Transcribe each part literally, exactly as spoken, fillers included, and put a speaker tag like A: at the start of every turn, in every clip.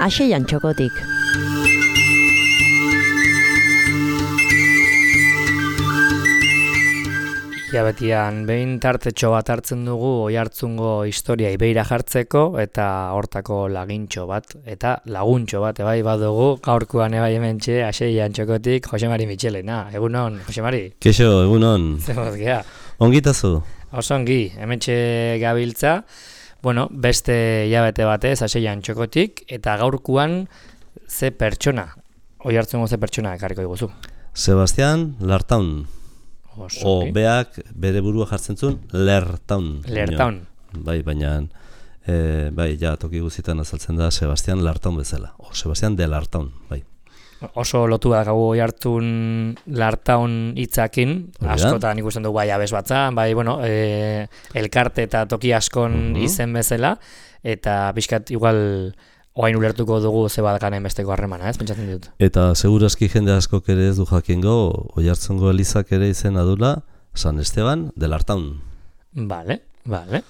A: Aseian txokotik.
B: Hilabetian behin tartetxo bat hartzen dugu Oiartzungo historia ibeira jartzeko eta hortako lagintxo bat eta laguntxo bat ebai badugu gaurkoan ebai hementxe Aseian txokotik Josemari Mitxelena. Egunon, Josemari?
C: Keixo, egunon.
B: Zemoz gea?
C: Ongitazu?
B: Oso ongi, hementxe gabiltza. Bueno, beste hilabete batez Aseian txokotik eta gaurkoan ze pertsona, Oiartzungo ze pertsona ekarriko diguzu?
C: Sebastian Lartaun.
B: Oso,
C: o beak bere burua jartzen zuen Lertaun.
B: Lertaun.
C: Bai, baina e, bai, ja toki guztietan azaltzen da Sebastian Lartaun bezala. O Sebastian de Lartaun, bai.
B: Oso lotu da gau Oiartzun Lartaun hitzakin, askotan ikusten dugu bai abes batzan, bai, bueno, e, elkarte eta toki askon uh-huh. izen bezala, eta pixkat igual oain ulertuko dugu ze badakanen besteko harremana, ez, pentsatzen dut.
C: Eta segurazki jende askok ere ez du jakingo, Oiartzungo elizak ere izena dula San Esteban de Lartaun.
B: Vale, vale.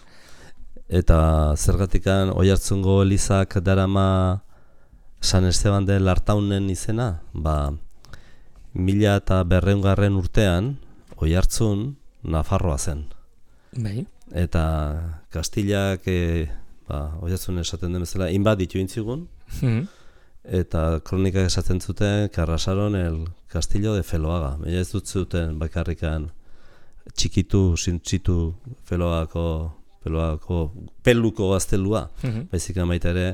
C: Eta zergatikan Oiartzungo elizak darama San Esteban de Lartaunen izena, ba, mila eta berreungarren urtean Oiartzun Nafarroa zen.
B: Bai.
C: Eta Kastilak e, ba, Oiartzun esaten den bezala, inbat ditu intzigun,
B: mm.
C: eta kronikak esaten zuten que arrasaron el castillo de Feloaga. Baina ez dut zuten bakarrikan txikitu, sintzitu Feloagako, Feloagako peluko gaztelua, mm-hmm. baizik baita ere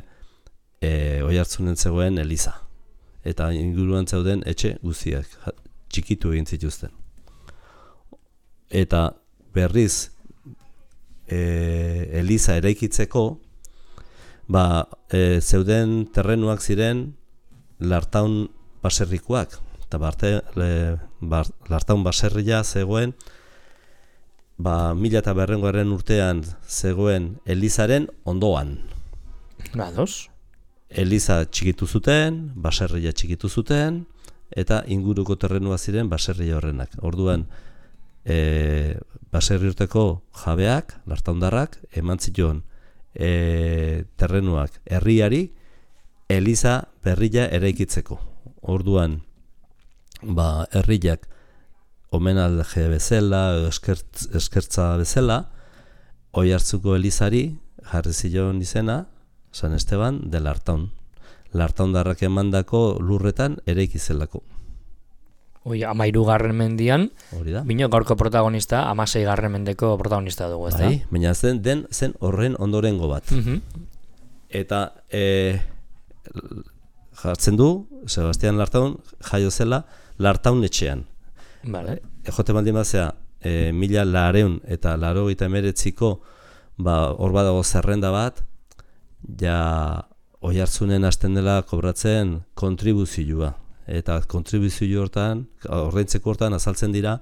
C: e, Oiartzunen zegoen eliza. Eta inguruan zeuden etxe guztiak txikitu egin zituzten. Eta berriz E, eliza eraikitzeko ba, e, zeuden terrenuak ziren Lartaun baserrikoak eta barte, le, bar, Lartaun baserria zegoen ba, mila eta berrengoaren urtean zegoen elizaren ondoan.
B: Bados.
C: Eliza txikitu zuten, baserria txikitu zuten eta inguruko terrenua ziren baserria horrenak. Orduan E, baserri urteko jabeak, lartaundarrak, eman zituen e, terrenuak herriari eliza berria eraikitzeko. Orduan, ba, herriak omenalde bezala, eskertz, eskertza bezala, Oiartzuko elizari jarri zion izena San Esteban de Lartaun. Lartaundarrak emandako lurretan eraikizelako.
B: Oi, amairu garren mendian, bino gaurko protagonista, amasei garren mendeko protagonista dugu, ez da?
C: Bai, baina zen, den, zen horren ondorengo bat.
B: Uh-huh.
C: Eta e, jartzen du, Sebastian Lartaun jaio zela Lartaun etxean.
B: Vale.
C: E, jote baldin bazea, e, mila lareun eta laro eta emeretziko ba, hor badago zerrenda bat, ja Oiartzunen hasten dela kobratzen kontribuzioa. Eta kontribuzio hortan, ordaintzeko hortan azaltzen dira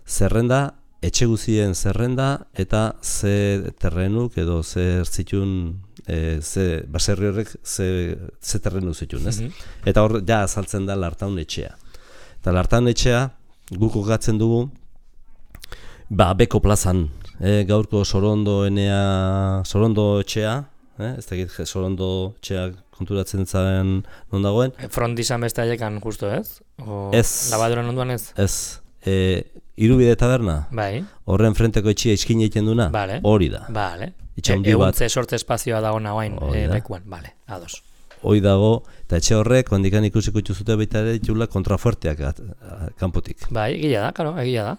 C: zerrenda, etxe guztien zerrenda eta ze terrenuk edo ze zitun, e, ze baserri horrek ze, ze terrenu zitun, ez? Mm-hmm. Eta hor ja azaltzen da Lartaun etxea. Eta Lartaun etxea guk kokatzen dugu ba Beko plazan, e, gaurko Sorondo enea, Sorondo etxea, eh? Ez dakit Sorondo etxea konturatzen zaren non dagoen.
B: Frontizan beste haiekan justo, ez? O
C: ez.
B: Labadoran onduan ez?
C: Ez. E, Irubide taberna?
B: Bai.
C: Horren frenteko etxia iskin egiten duna?
B: Vale.
C: Hori da.
B: Vale.
C: E, Eguntze
B: sortze espazioa dago nagoain e, lekuan. Vale, ados.
C: Hoi dago, eta etxe horrek, ondikan ikusiko itxuzute baita ere ditula kontrafuerteak at, a, kanpotik.
B: Bai, egia da, karo, egia da.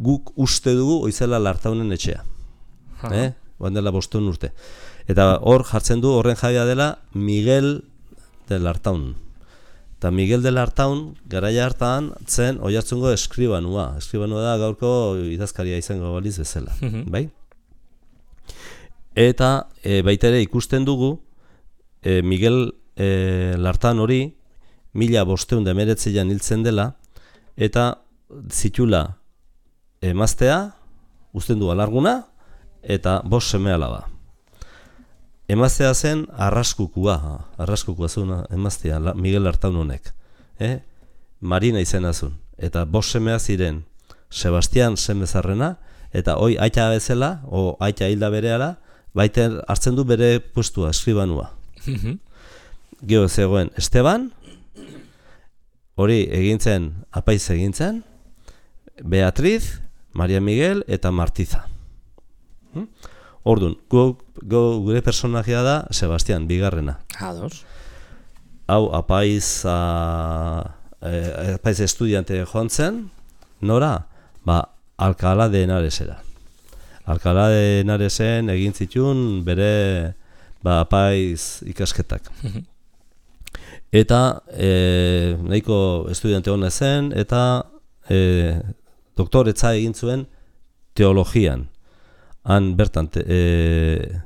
C: Guk uste dugu oizela Lartaunen etxea. Uh-huh. Eh? Bandela bostun urte. Eta hor jartzen du horren jabea dela Miguel de Lartaun. Eta Miguel de Lartaun garaia hartan zen Oiartzungo eskribanua. Eskribanua da gaurko idazkaria izango baliz bezala. Mm-hmm. Bai? Eta e, baita ere ikusten dugu e, Miguel e, Lartaun hori mila bosteun da emeretzean hiltzen dela eta zitula emaztea, uzten du alarguna eta bost seme alaba. Emaztea zen arraskukua, arraskukua zuen emaztea, Miguel Lartaun honek. Eh? Marina izena zuen. Eta bost semea ziren Sebastian semezarrena, eta hoi aita bezala, o aita hilda berehala, baita hartzen du bere puestua, eskribanua. geho zegoen Esteban, hori egintzen, apaiz egintzen, Beatriz, Maria Miguel eta Martiza. Hmm? Orduan, gu, gu, gure personajea da Sebastián, bigarrena.
B: Ados.
C: Hau, apaiz, a, eh, apaiz estudiante joan zen, nora? Ba, Alcalá de Henaresera. Alcalá de Henaresen egin zituen bere ba, apaiz ikasketak. Eta e, nahiko estudiante hona zen, eta e, doktoretza egin zuen teologian. Han bertan, te, e,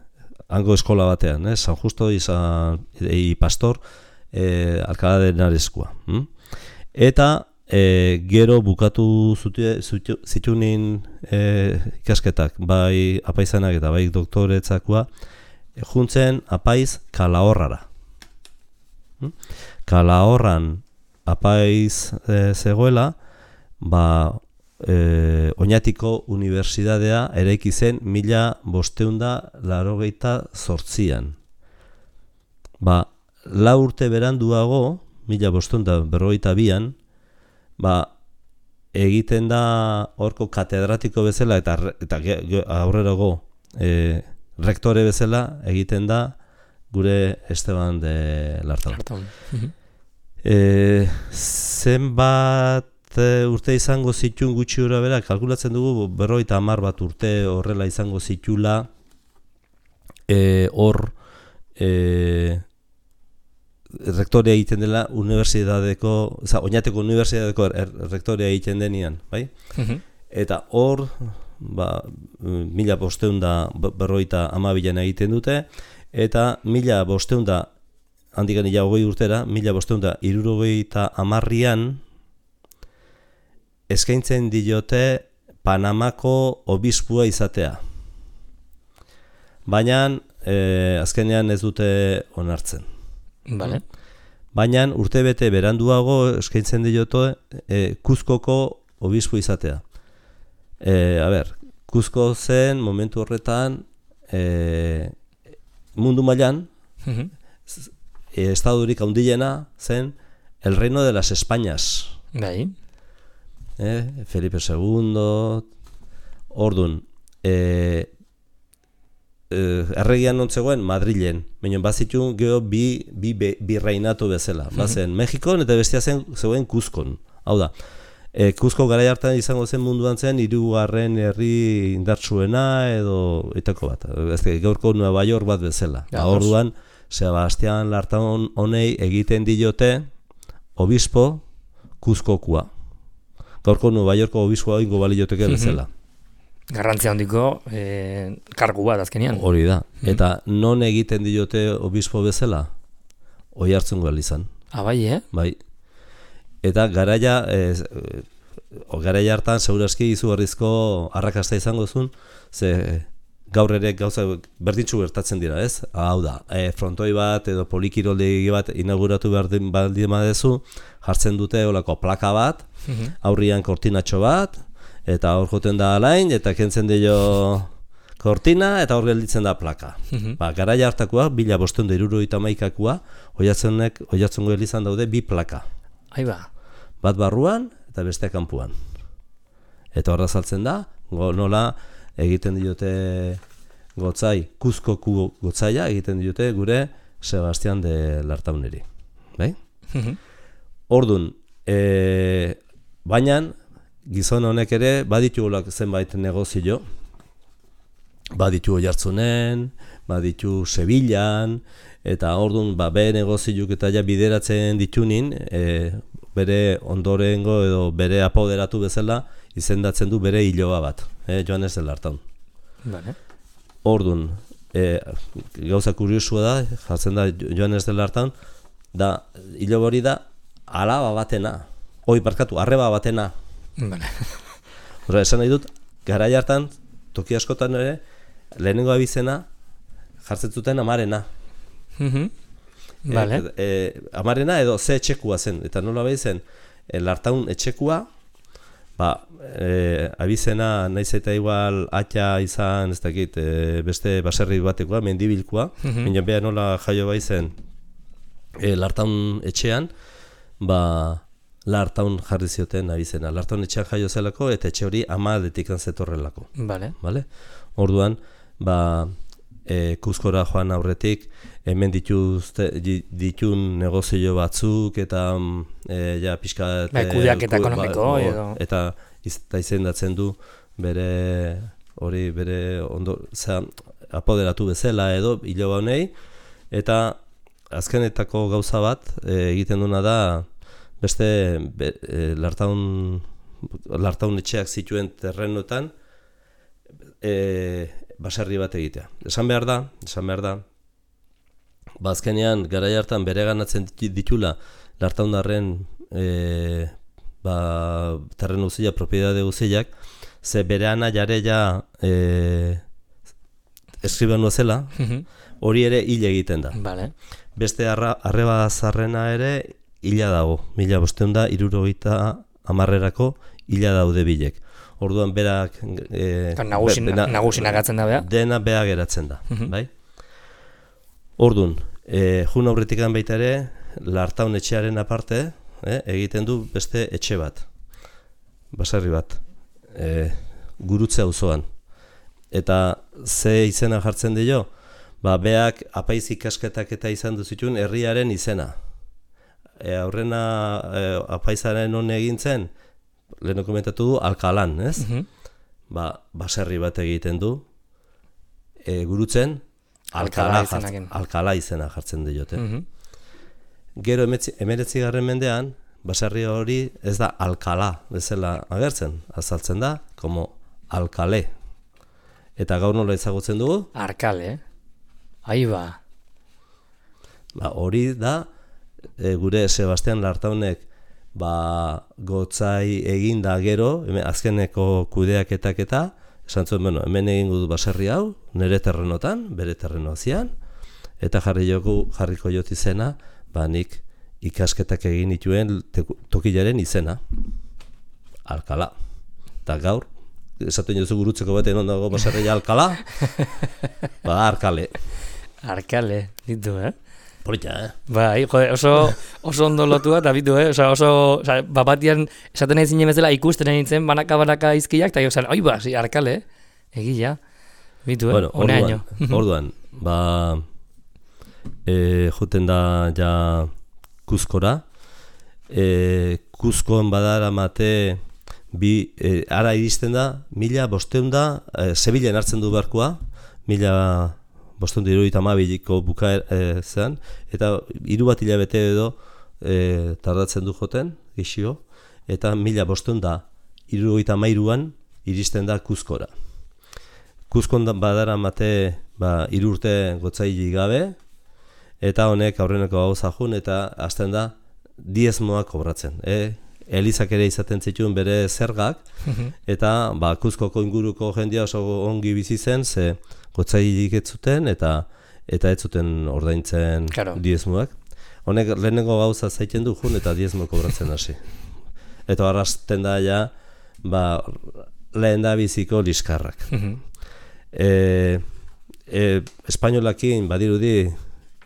C: hango eskola batean, eh? San Justo izan, e, pastor e, Alcalá de Henareskoa. Hm? Eta e, gero bukatu zitunin e, ikasketak, bai apaizanak eta bai doktoretzakoa, e, juntzen apaiz Kalahorrara. Hm? Kalahorran apaiz e, zegoela, ba, e, Oñatiko Unibertsitatea eraiki zen mila bosteunda laurogeita zortzian. Ba, lau urte beranduago, mila bosteunda berrogeita bian, ba, egiten da horko katedratiko bezala eta, eta aurrerago e, rektore bezala egiten da gure Esteban de Lartaun. e, zenbat urte izango zituen gutxi ura bera, kalkulatzen dugu berrogeita hamar bat urte horrela izango zitula e, hor e, rektorea egiten dela unibertsitateko, oza, Oñateko unibertsitateko er, rektorea egiten denian, bai? Uh-huh. Eta hor, ba, mila bosteunda berrogeita hamabian egiten dute, eta mila bosteunda, handikan ila hogei urtera, mila bosteunda hirurogeita hamarrian eskaintzen diote Panamako obispua izatea. Baina, eh, azkenean ez dute onartzen.
B: Vale.
C: Baina urtebete beranduago eskaintzen diote e, Kuzkoko obispo izatea. E, a ber, Kuzko zen momentu horretan e, mundu mailan uh-huh. e, estadurik handiena zen el Reino de las Españas.
B: Bai.
C: E, Felipe segundo, ordun, e, erregian nontzegoen Madrilen, baina bazitun geho bi, bi, bi reinatu bezala. Bazen Mexikon eta bestia zen zegoen Kuzkon. Hau da, e, Kuzko garai hartan izango zen munduan zen hirugarren herri indartsuena edo etako bat. Ezke, gaurko Nueva York bat bezala. Ja, orduan, Sebastián Lartaun honei egiten diote obispo Kuzkokua. Gaurko Nueva Yorko obispoa ingo balioteke bezala.
B: Garrantzia handiko e, kargu bat azkenean.
C: Hori da. Eta non egiten diote obispo bezala? Oiartzungo izan.
B: Ah, bai, eh?
C: Bai. Eta garaia, e, garaia hartan segurazki izugarrizko arrakasta izango zuen, ze gaur ere gauza berdintzu gertatzen dira, ez? Hau da, e, frontoi bat edo polikiroldegi bat inauguratu behar baldin badezu, jartzen dute olako plaka bat, aurrian kortinatxo bat, eta hor joten da alain, eta kentzen dio kortina, eta hor gelditzen da plaka. Uh-huh. Ba, garaia hartakoa, bila bosteun da hirurogeita hamaikakoa, oiatzenek, oiatzungo elizan daude bi plaka.
B: Aiba.
C: Bat barruan, eta beste kanpuan. Eta horra saltzen da, go, nola egiten diote gotzai, Kuzkoku gotzaia, egiten diote gure Sebastián de Lartauneri. Bai? Uh-huh. Ordun, e, baina, gizon honek ere baditu zenbait negozio, baditu Oiartzunen, baditu Sevillan, eta orduan ba, bere negozioak eta ja bideratzen ditunin, e, bere ondorengo edo bere apoderatu bezala izendatzen du bere hiloba bat, e, Joanes de Lartaun.
B: Vale.
C: Orduan, e, gauza kuriosua da, jartzen da Joanes de Lartaun, da hiloba hori da alaba batena, oi barkatu, arreba batena.
B: Vale.
C: Ora, esan nahi dut, garai hartan, toki askotan ere, lehenengo abizena jartzen zuten amarena.
B: Uh-huh. Vale.
C: E, e, amarena edo ze etxekua zen, eta nola behi zen, e, Lartaun etxekua, ba, e, abizena naiz eta igual atxa izan, ez dakit, e, beste baserri batekoa, mendibilkoa, uh-huh. Baina beha nola jaio bai zen, e, Lartaun etxean, ba, Lartaun jarri zioten abizena. Lartaun etxean jaio zelako eta etxe hori ama aldetikan zetorrelako.
B: Vale.
C: Vale? Orduan, ba, e, Kuzkora joan aurretik, hemen dituzte, ditun negozio batzuk eta e, ja pixka...
B: Bai, kudeaketa ekonomiko.
C: Ba,
B: edo.
C: Eta eta izendatzen du bere hori bere ondo, zera, apoderatu bezala edo iloba honei, eta azkenetako gauza bat e, egiten duna da beste be, e, lartaun, lartaun etxeak zituen terrenoetan e, baserri bat egitea. Esan behar da, esan behar da, ba azkenean garai hartan bereganatzen ditula lartaundarren e, ba, terreno guztiak, propiedade guztiak, ze bere ana jare ja e, eskribanu zela, hori ere hil egiten da.
B: Vale.
C: Beste arra, arreba zarrena ere hila dago, mila bosteun da, irurogeita hamarrerako hila daude bilek. Orduan berak... E,
B: Nagusin, be, nagusinagatzen da beha?
C: Dena beha geratzen da, bai? Orduan, e, jun aurretikan baita ere, Lartaun etxearen aparte, e, egiten du beste etxe bat, baserri bat, e, Gurutze auzoan. Eta ze izena jartzen dio? Ba, beak apaiz ikasketak eta izan duzitun herriaren izena. E, aurrena e, apaizaren hon egintzen, lehen komentatu du, Alkalan, ez? Uh -huh. Ba, baserri bat egiten du, e, Gurutzen, Alkala, Alkala, izena, Alkala izena jartzen diote. Uh -huh. Gero emeretzi garren mendean, baserri hori ez da Alkala bezala agertzen, azaltzen da, como Alkale. Eta gaur nola ezagutzen dugu?
B: Arkale, ahi ba.
C: Ba, hori da, e, gure Sebastian Lartaunek ba, gotzai egin da gero, hemen, azkeneko kudeaketak eta, esan zuen, bueno, hemen egin du baserri hau, nire terrenotan, bere terrenoazian, eta jarri joku, jarriko jot izena, ba, nik ikasketak egin dituen tokilaren izena, Alkala. Eta gaur, esaten jozu Gurutzeko baten ondago baserria Alkala, ba, Arkale.
B: Arkale, ditu, eh?
C: Polita, eh?
B: Bai, jode, oso, oso ondo lotua, eta bitu, eh? Osa, oso, osa, bapatian, esaten nahi zinen bezala ikusten nintzen, banaka-banaka izkiak, eta jozan, oi ba, si, Arkale, egia, bitu, eh?
C: Bueno, orduan, orduan, ba, e, juten da, ja, Kuzkora, e, Kuzkoan badara mate, bi, e, ara iristen da, mila bosteun da, e, Sevillen hartzen du barkua, mila bosteun da irurogeita hamabiiko bukaer e, zen, eta hiru bat hilabete edo e, tardatzen du joten, gixio, eta mila bosteun da irurogeita hamairuan iristen da Kuzkora. Kuzkon badara mate, ba, hiru urte gotzaili gabe, eta honek aurreneko gauza jun, eta hasten da diezmoa kobratzen. E, Elizak ere izaten zituen bere zergak, eta ba, Kuzkoko inguruko jendia oso ongi bizi zen, ze gotzailik ez zuten, eta eta ez zuten ordaintzen claro. diezmoak. Honek lehenengo gauza zaiten du jun, eta diezmo kobratzen hasi. Eta arrasten da ja, ba, lehen da biziko liskarrak. e, e, Espainolakin badirudi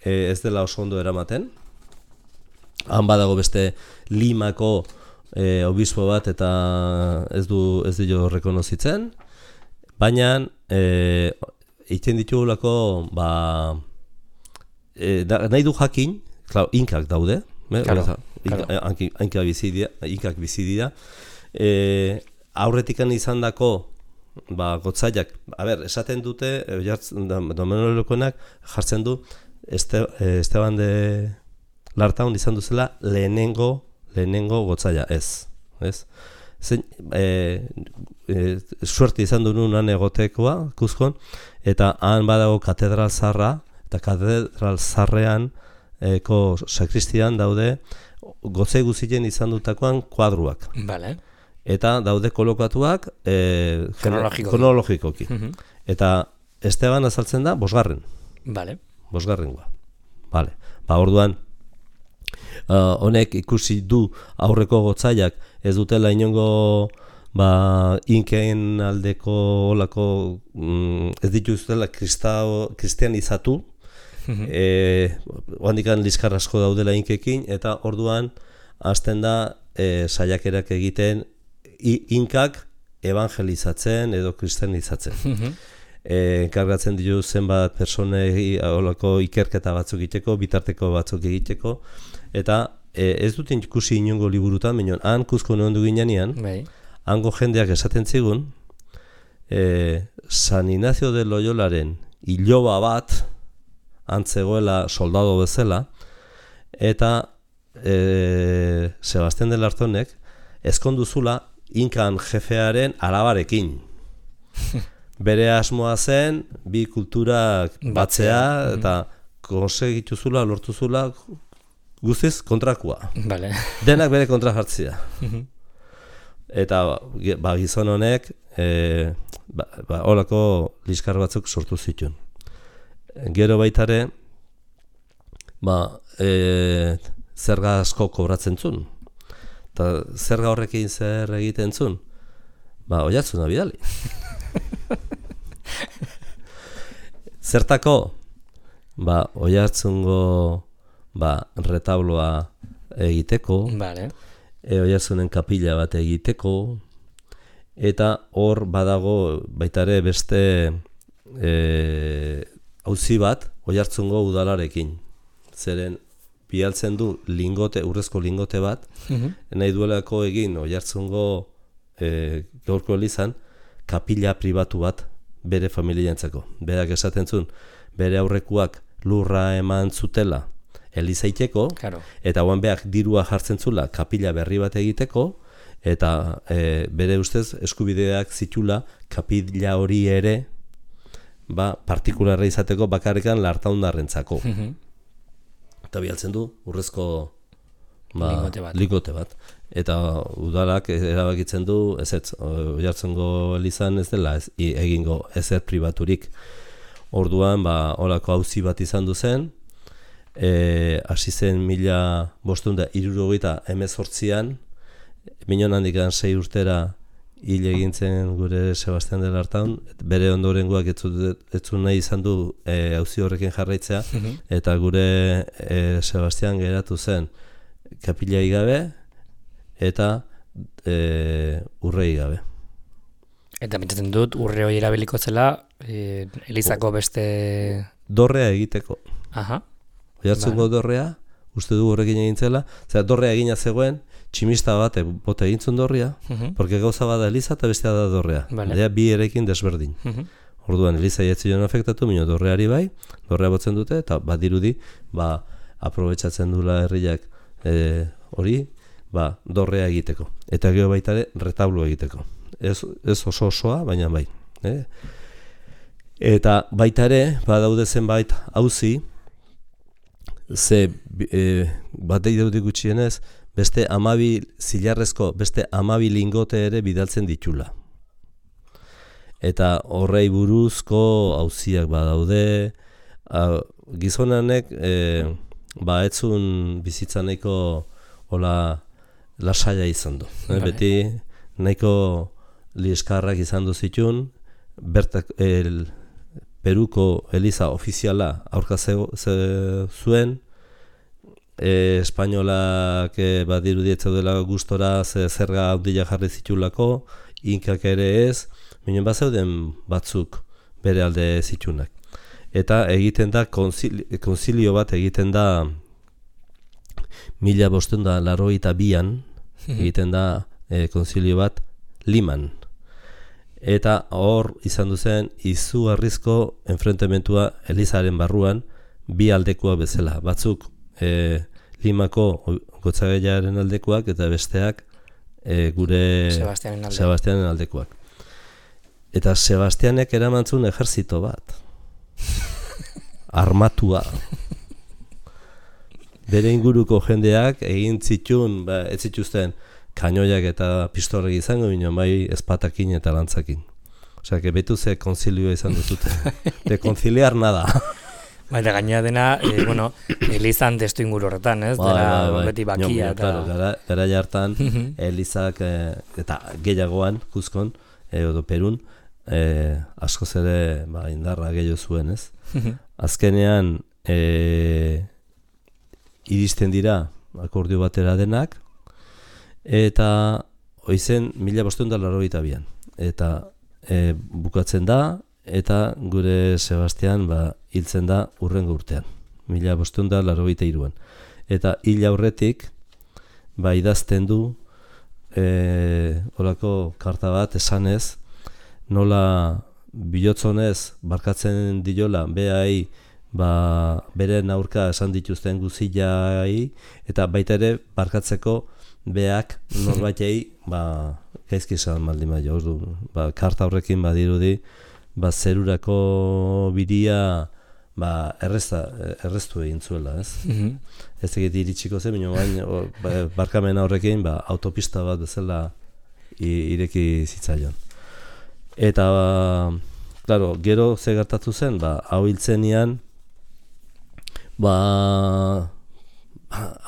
C: e, ez dela oso ondo eramaten. Han badago beste Limako e, obispo bat eta ez du ez dio rekonozitzen, baina e, egiten ditugulako ba, e, da, nahi du jakin, klar, inkak daude,
B: claro,
C: inka, claro. Inka bizidia, inkak bizidia, e, aurretikan izan dako ba, gotzaiak, a ber, esaten dute, domenolokoenak jartzen du este, Esteban de Lartaun izan duzela lehenengo lehenengo gotzaia, ez, ez? Zein, e, e, suerte izan du nunan egotekoa, Kuzkon, eta han badago katedral zarra, eta katedral zarrean eko sakristian daude gotzai guztien izan dutakoan kuadruak.
B: Vale.
C: Eta daude kolokatuak e, kronologikoki. Uh-huh. Eta Esteban azaltzen da bosgarren.
B: Vale.
C: Bosgarrengoa. Vale. Ba, orduan, Uh, honek ikusi du aurreko gotzaiak ez dutela inongo ba, inkeen aldeko olako mm, ez dituztela kristao, kristianizatu e, oandikan liskar asko daudela inkekin, eta orduan hasten da e, saiakerak egiten i, inkak evangelizatzen edo kristianizatzen. E, enkargatzen ditu zenbat personei olako ikerketa batzuk egiteko, bitarteko batzuk egiteko, eta e, ez dut ikusi inongo liburutan, baina han Kuzko nondu ginean, hango jendeak esaten zigun, e, San Ignacio de Loyolaren iloba bat antzegoela soldado bezala, eta e, Sebastián de Lartonek ezkonduzula inkan jefearen alabarekin. Bere asmoa zen, bi kulturak batzea, eta konsegituzula, lortuzula, guztiz kontrakua.
B: Vale.
C: Denak bere kontra jartzea. Eta ba, gizon honek, e, ba, ba, holako liskar batzuk sortu zituen. Gero baitare, ba, e, zerga asko kobratzen zuen. Eta zerga horrekin zer egiten zuen? Ba, oiatzuna bidali. Zertako? Ba, oiartzungo ba, retabloa egiteko,
B: vale.
C: e, oiartzunen kapila bat egiteko, eta hor badago baitare beste e, auzi bat oiartzungo udalarekin. Zeren bialtzen du lingote, urrezko lingote bat, uh-huh. nahi duelako egin oiartzungo e, gaurko elizan, kapila pribatu bat bere familiarentzako. Berak esaten zuen, bere aurrekuak lurra eman zutela elizaiteko,
B: claro.
C: Eta guan beak dirua jartzen zula kapila berri bat egiteko, eta e, bere ustez eskubideak zitula kapila hori ere ba, partikularra izateko bakarrikan lartaundarrentzako. Uh-huh. Eta bialtzen du urrezko ba,
B: lingote bat.
C: Lingote bat. Eta udalak erabakitzen du, ez ez, Oiartzungo elizan ez dela ez, egingo ezer pribaturik. Orduan, ba, olako auzi bat izan du zen, e, hasi zen mila bostunda hirurogeita hemezortzian, minon handikan sei urtera hil egintzen gure Sebastián de Lartaun, bere ondorengoak ez zuen nahi izan du e, auzi horrekin jarraitzea, eta gure e, Sebastián geratu zen kapilai gabe, eta e, urrei gabe.
B: Eta pentsatzen dut, urre hori erabiliko zela, e, elizako beste...
C: Dorrea egiteko.
B: Aha.
C: Oiartzungo vale. Dorrea, uste du horrekin egin zela, zera dorrea egina zegoen, tximista bat bote egintzun dorria, uh-huh. porque gauza bada eliza eta bestea da dorrea. Vale. Dea bi erekin desberdin. Uh-huh. Orduan, eliza jatzion afektatu, minio dorreari bai, dorrea botzen dute, eta badirudi, ba, aprobetsatzen dula herriak hori, e, ba, dorrea egiteko. Eta gero baita ere, retablo egiteko. Ez, ez oso osoa, baina bai. Eh? Eta baita ere, badaude zenbait auzi, ze e, batei daudik gutxienez, beste amabi zilarrezko, beste amabi lingote ere bidaltzen ditula. Eta horrei buruzko auziak badaude, a, gizonanek e, ba etzun bizitza nahiko hola lasaia izan du. Vale. Beti nahiko liskarrak izan du zitun, bertak el, Peruko eliza ofiziala aurka zuen, e, espainolak e, badiru dietzeu dela gustora ze zerga handila jarri zitulako, inkak ere ez, minen bat zeuden batzuk bere alde zitunak. Eta egiten da, konzilio, konzilio bat egiten da mila bostehun da laurogeita bian, egiten da e, konzilio bat Liman. Eta hor izan duzen izugarrizko enfrentementua elizaren barruan bi aldekoa bezala. Batzuk e, Limako gotzagaiaren aldekoak eta besteak e, gure
B: Sebastianen alde.
C: Sebastianen aldekoak. Eta Sebastianek eramantzun ejerzito bat. Armatua. Bere inguruko jendeak egin zitun, ba, ez zituzten kainoiak eta pistolek izango bino, bai ezpatakin eta lantzakin. Osea, que betu ze konzilioa izan duzute. De konziliar nada.
B: Baina gaina dena, e, bueno, elizan testu inguru horretan, ez?
C: Bai,
B: dela
C: bai, bai.
B: beti bakia.
C: Nio,
B: eta...
C: claro, gara, gara jartan, elizak e, eta gehiagoan, Kuzkon, e, edo Perun, e, askoz ere ba, indarra gehiago zuen, ez? Azkenean, e, iristen dira akordio batera denak, eta hoizen mila bostehun eta laurogeita bian. Eta e, bukatzen da, eta gure Sebastian ba, hiltzen da hurrengo urtean, mila bostehun eta laurogeita hiruan. Eta hil aurretik, ba, idazten du, e, olako karta bat esanez, nola bihotzonez barkatzen diola behai, ba, beren aurka esan dituzten guzilai, eta baita ere barkatzeko beak norbaitei ba, gaizki esan maldin bai, ba, karta horrekin badirudi, ba, zerurako biria ba, errezta, erreztu egin zuela, ez? Mm-hmm. Ez egit iritsiko zen, baina bain, ba, barkamena horrekin ba, autopista bat bezala ireki zitzaion. Eta, ba, claro, gero ze gertatu zen, ba, hau hiltzenian, ba,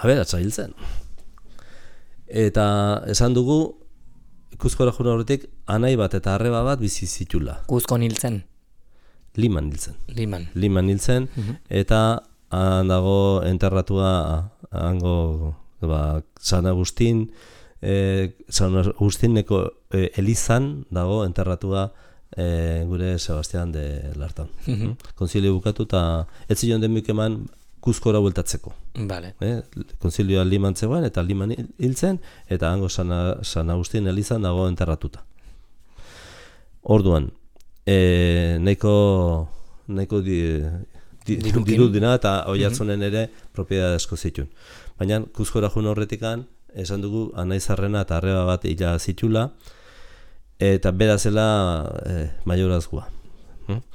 C: aberatsa hiltzen. Eta esan dugu, Kuzkora joan horretik, anai bat eta arreba bat bizi zitula.
B: Kuzkon hiltzen?
C: Liman hiltzen.
B: Liman.
C: Liman hiltzen, uh-huh. Eta han dago enterratua hango ba, San Agustin, eh, San Agustineko eh, elizan dago enterratua eh, gure Sebastian de Lartan. Uh-huh. Konzilio bukatu eta ez zion denbik eman Kuzkora bueltatzeko.
B: Vale.
C: Eh, konzilioa Liman zegoen eta Liman hiltzen, eta hango San, San Agustin elizan dago enterratuta. Orduan, e, nahiko, nahiko di, di, dirudina eta Oiartzunen ere propiedad asko zituen. Baina Kuzkora joan horretikan, esan dugu anaizarrena eta arreba bat hila zitula, eta berazela e, maiorazgoa. Hm?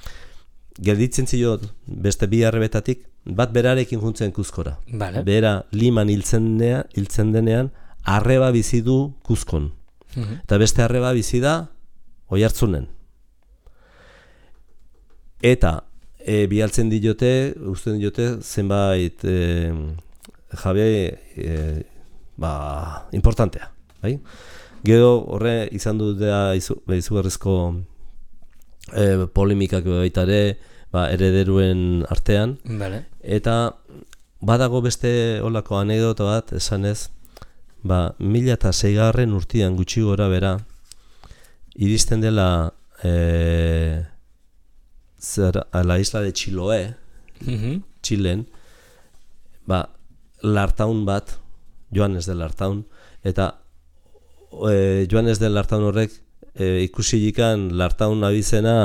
C: Gelditzen ziot beste bi arrebetatik, bat berarekin juntzen Kuzkora.
B: Vale.
C: Bera Liman hiltzen, nea, hiltzen denean, arreba bizi du Kuzkon. Uh-huh. Eta beste arreba bizi da Oiartzunen. Eta e, bialtzen diote, usten diote, zenbait e, jabe e, ba, importantea. Bai? Gero horre izan du da izu, izugarrizko e, polemikak baita ere, ba, herederuen artean.
B: Vale.
C: Eta badago beste olako anekdota bat esanez, ba, mila eta seigarren urtean gutxi gora bera, iristen dela e, zer, a la isla de Chiloé, uh-huh. Chilen, ba, Lartaun bat, Joanes de Lartaun, eta e, Joanes de Lartaun horrek e, ikusilikan Lartaun abizena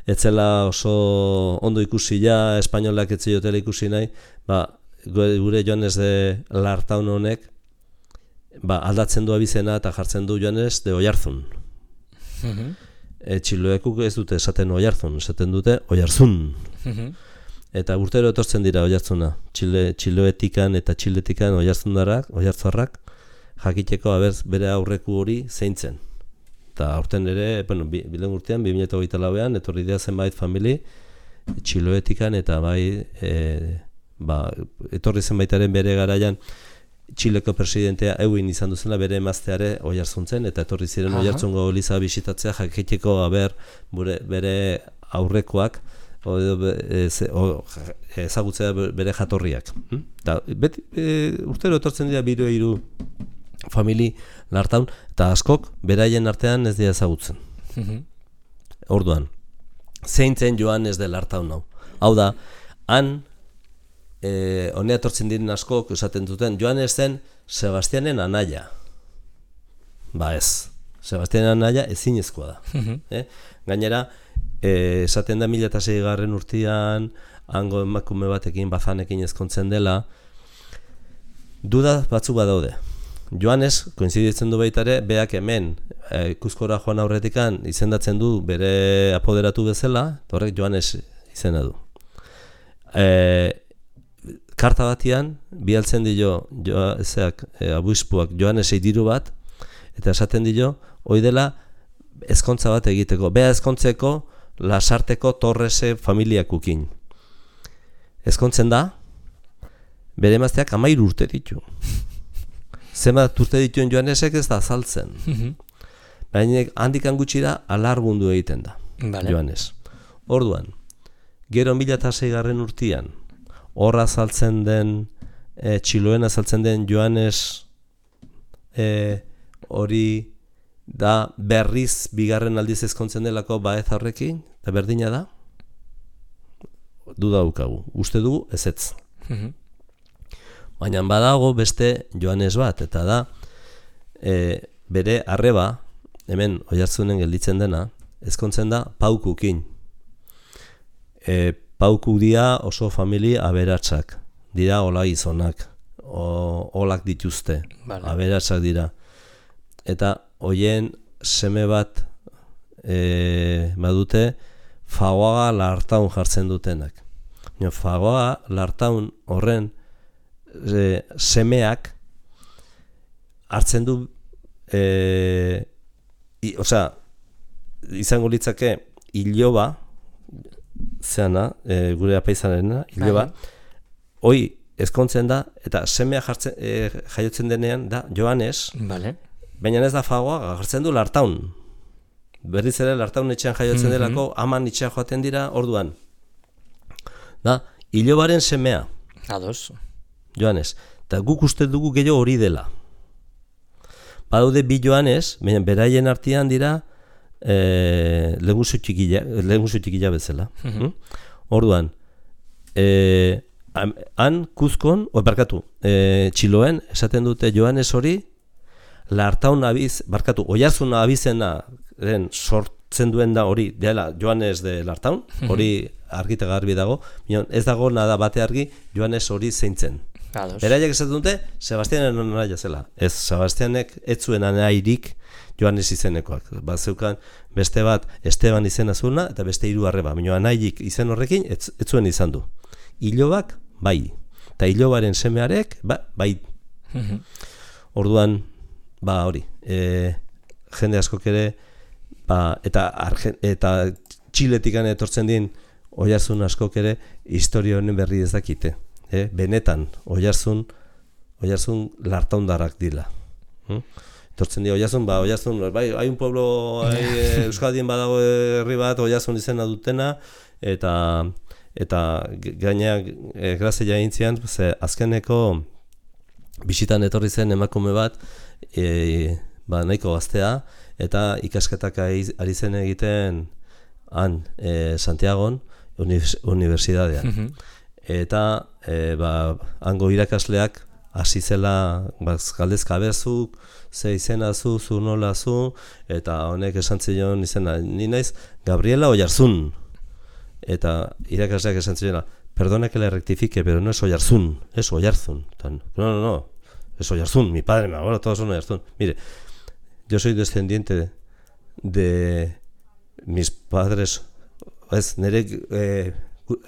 C: etzela oso ondo ikusi ja, espainolak ez ziotela ikusi nahi, ba, gure Joanes de Lartaun honek ba, aldatzen du abizena eta jartzen du Joanes de Oiarzun. Uh-huh. E, Txiloekuk ez dute esaten Oiarzun, esaten dute Oiarzun. Uh-huh. Eta urtero etortzen dira Oiarzuna, Txile, Txiloetikan eta Txiletikan Oiarzundarrak, Oiarzarrak, jakiteko aberz bere aurreku hori zeintzen. Eta aurten ere, bueno, bilen urtean, bi mila hogeita lauean, etorri dira zenbait famili, Txiloetikan eta bai, e, ba, etorri zenbaitaren bere garaian, Txileko presidentea euin izan duzela bere emazteare Oiartzuntzen, eta etorri ziren uh-huh. Oiartzungo eliza bisitatzea, jakiteko aber bure, bere aurrekoak, o, e, ze, o, ezagutzea bere jatorriak. Hm? Ta, beti, e, urtero etortzen dira biro hiru famili Lartaun, eta askok beraien artean ez dira ezagutzen. Uh-huh. Orduan, zeintzen Joanes de Lartaun hau. Hau da, han, e, honea etortzen diren askok esaten duten, Joanes zen Sebastianen anaia. Ba ez, Sebastianen anaia ezinezkoa da. Uh-huh. Eh? Gainera, e, esaten da mila eta seigarren urtean, hango emakume batekin, bazanekin ezkontzen dela, duda batzu badaude. Joanes, koinziditzen du baita ere, beak hemen e, Kuzkora joan aurretikan izendatzen du bere apoderatu bezala, horrek Joanes izena du. E, karta batian, bialtzen dio, jo, ezeak, e, abuispuak Joanesei diru bat, eta esaten dio, hoi dela ezkontza bat egiteko, bea ezkontzeko Lasarteko Torrese familiakukin. Ezkontzen da, bere emazteak hamairu urte ditu. Zenbat urte dituen Joanesek ez da azaltzen. Uh-huh. Baina handikan gutxira alargundu egiten da, vale. Joanes. Orduan, Gero mila eta seigarren urtean, horra azaltzen den, e, Txiloen azaltzen den Joanes e, hori da berriz bigarren aldiz ezkontzen delako Baeza horrekin, eta berdina da? Duda daukagu. Uste dugu ezetz.
B: Mhm.
C: Baina badago beste Joanes bat, eta da e, bere arreba, hemen Oiartzunen gelditzen dena, ezkontzen da Paukukin. E, Paukuk dira oso familia aberatsak, dira ola gizonak, o, olak dituzte,
B: Vale.
C: aberatsak dira. Eta hoien seme bat e, badute Fagoaga Lartaun jartzen dutenak. No, Fagoaga Lartaun horren e, semeak hartzen du e, i, osea, izango litzake iloba zeana, e, gure apaizanena, iloba, hoi ezkontzen da, eta semea jartzen, e, jaiotzen denean da Joanes,
B: Vale.
C: baina ez da Fagoaga, jartzen du Lartaun. Berriz ere Lartaun etxean jaiotzen
B: Mhm.
C: delako, aman etxean joaten dira orduan. Da, ilobaren semea,
B: Ados.
C: Joanes, eta guk uste dugu gehiago hori dela. Badaude bi Joanes, baina beraien artean dira e, lehenguzu txikila, lehenguzu txikila bezala.
B: Mhm.
C: Mm? Orduan, e, han Kuzkon, o, barkatu, e, Txiloen, esaten dute Joanes hori, Lartaun abiz, barkatu, Oiarzun abizenaren sortzen duen da hori, dela Joanes de Lartaun, hori argita garbi dago, minon, ez dago nada bate argi Joanes hori zeintzen.
B: Ados.
C: Beraiek esaten dute, Sebastianen anaia zela. Ez, Sebastianek ez zuen anairik Joanes izenekoak. Bat zeukan beste bat Esteban izena zuena, eta beste hiru arreba. Baina anairik izen horrekin ez, ez zuen izan du. Ilobak, bai. Eta ilobaren semearek, ba, bai.
B: Mhm.
C: Orduan, ba hori, e, jende askok ere, ba, eta, Argen, eta Txiletikan etortzen din Oiarzun askok ere, historia honen berri ez dakite. E, benetan, Oiarzun, Oiarzun Lartaundarrak dila. Hm? Etortzen di Oiarzun, ba, Oiarzun, bai, hai un pueblo, hai, Euskadien badago herri bat, Oiarzun izena dutena, eta eta gaina e, grazia egintzian, ze azkeneko bisitan etorri zen emakume bat, e, ba, nahiko gaztea, eta ikasketak ari zen egiten han, e, Santiagon, unibertsitatean.
B: Mhm.
C: Eta e, ba, hango irakasleak hasi zela ba, galdezka bezuk, ze izena zu, zu nola zu, eta honek esan zion izena, ni naiz Gabriela Oiarzun. Eta irakasleak esan zion, perdona que le rectifique, pero no es Oiarzun, es Oiarzun. Tan, no, no, no, es Oiarzun, mi padre, mi abuelo, todos son Oiarzun. Mire, yo soy descendiente de, de mis padres, ez, nire eh,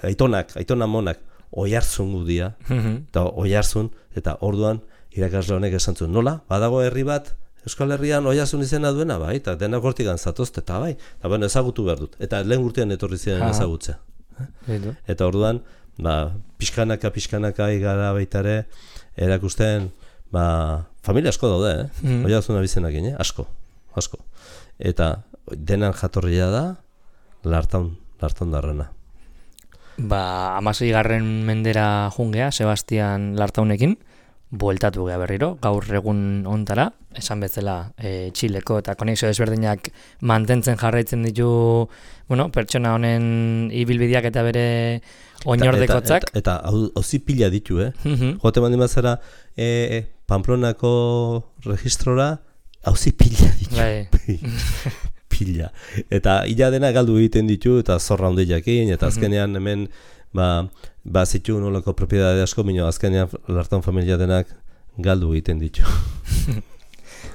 C: aitonak, aitona monak, Oiarzun gudia,
B: Mhm.
C: eta Oiarzun, eta orduan irakasle honek esan zuen, nola, badago herri bat, Euskal Herrian Oiarzun izena duena, bai, eta denak hortikan zatozte, eta bai, eta bueno, ezagutu behar dut, eta lehen urtean etorri ziren
B: Aha.
C: ezagutzea.
B: Edo.
C: Eta orduan, ba, pixkanaka, pixkanaka igara baitare, erakusten, ba, familia asko daude, eh?
B: Mhm.
C: Oiarzun abizenakin, eh? Asko, asko. Eta denan jatorria da, Lartaun, Lartaun darrena.
B: Ba, amasei garren mendera jungea, Sebastian Lartaunekin, bueltatu gea berriro, gaur egun ontara, esan bezala e, Txileko eta konexio desberdinak mantentzen jarraitzen ditu, bueno, pertsona honen ibilbideak eta bere oinordekotzak.
C: Eta, eta, eta hauzi pila ditu, eh?
B: Mhm.
C: Jote mandi mazara, e, Pamplonako registrora, hauzi pila ditu.
B: Bai.
C: Pila. Eta ila dena galdu egiten ditu, eta zorra hondiakin, eta azkenean hemen, ba, ba zitu nolako propiedade asko, minio azkenean Lartaun familia denak galdu egiten ditu.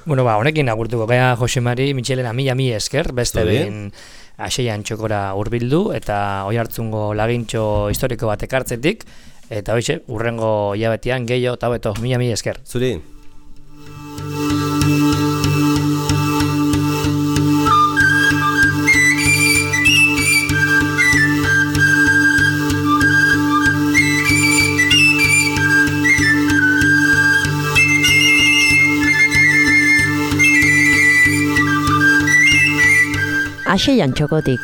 B: Bueno, ba, honekin agurtuko gea Josemari Mitxelena mila mi esker, beste
C: Zuri.
B: behin Aseian txokora hurbildu eta Oiartzungo lagintxo historiko bat ekartzetik, eta hoize, urrengo hilabetean gehiago eta hobeto, mila mi esker.
C: Zuri?
A: Aseian txokotik.